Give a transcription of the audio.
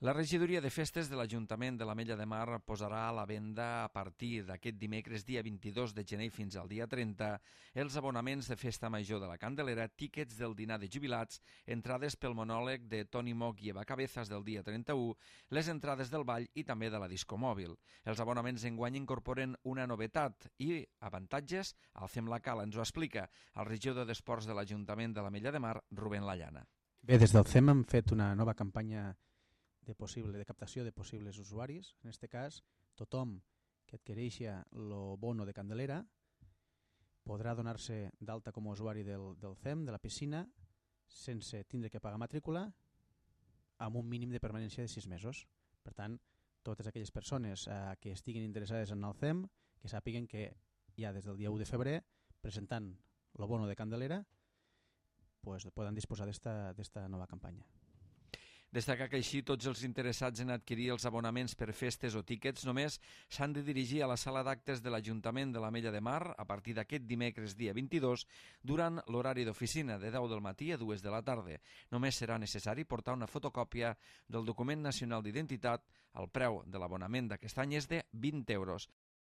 La regidoria de festes de l'Ajuntament de l'Ametlla de Mar posarà a la venda a partir d'aquest dimecres dia 22 de gener fins al dia 30 els abonaments de Festa Major de la Candelera, tíquets del dinar de jubilats, entrades pel monòleg de Toni Moch i Eva Cabezas del dia 31, les entrades del ball i també de la disco mòbil. Els abonaments enguany incorporen una novetat i avantatges. El Fem la Cala ens ho explica el regidor d'Esports de l'Ajuntament de l'Ametlla de Mar, Rubén Llana. Bé, des del CEM hem fet una nova campanya de captació de possibles usuaris. En aquest cas, tothom que adquireixi el bono de Candelera podrà donar-se d'alta com a usuari del CEM, de la piscina, sense tindre que pagar matrícula, amb un mínim de permanència de 6 mesos. Per tant, totes aquelles persones que estiguin interessades en el CEM, que sàpiguen que ja des del dia 1 de febrer, presentant el bono de Candelera, poden disposar d'esta nova campanya. Destacar que així tots els interessats en adquirir els abonaments per festes o tíquets només s'han de dirigir a la sala d'actes de l'Ajuntament de l'Ametlla de Mar a partir d'aquest dimecres dia 22 durant l'horari d'oficina de 10 del matí a 2 de la tarda. Només serà necessari portar una fotocòpia del document nacional d'identitat. El preu de l'abonament d'aquest any és de 20 euros.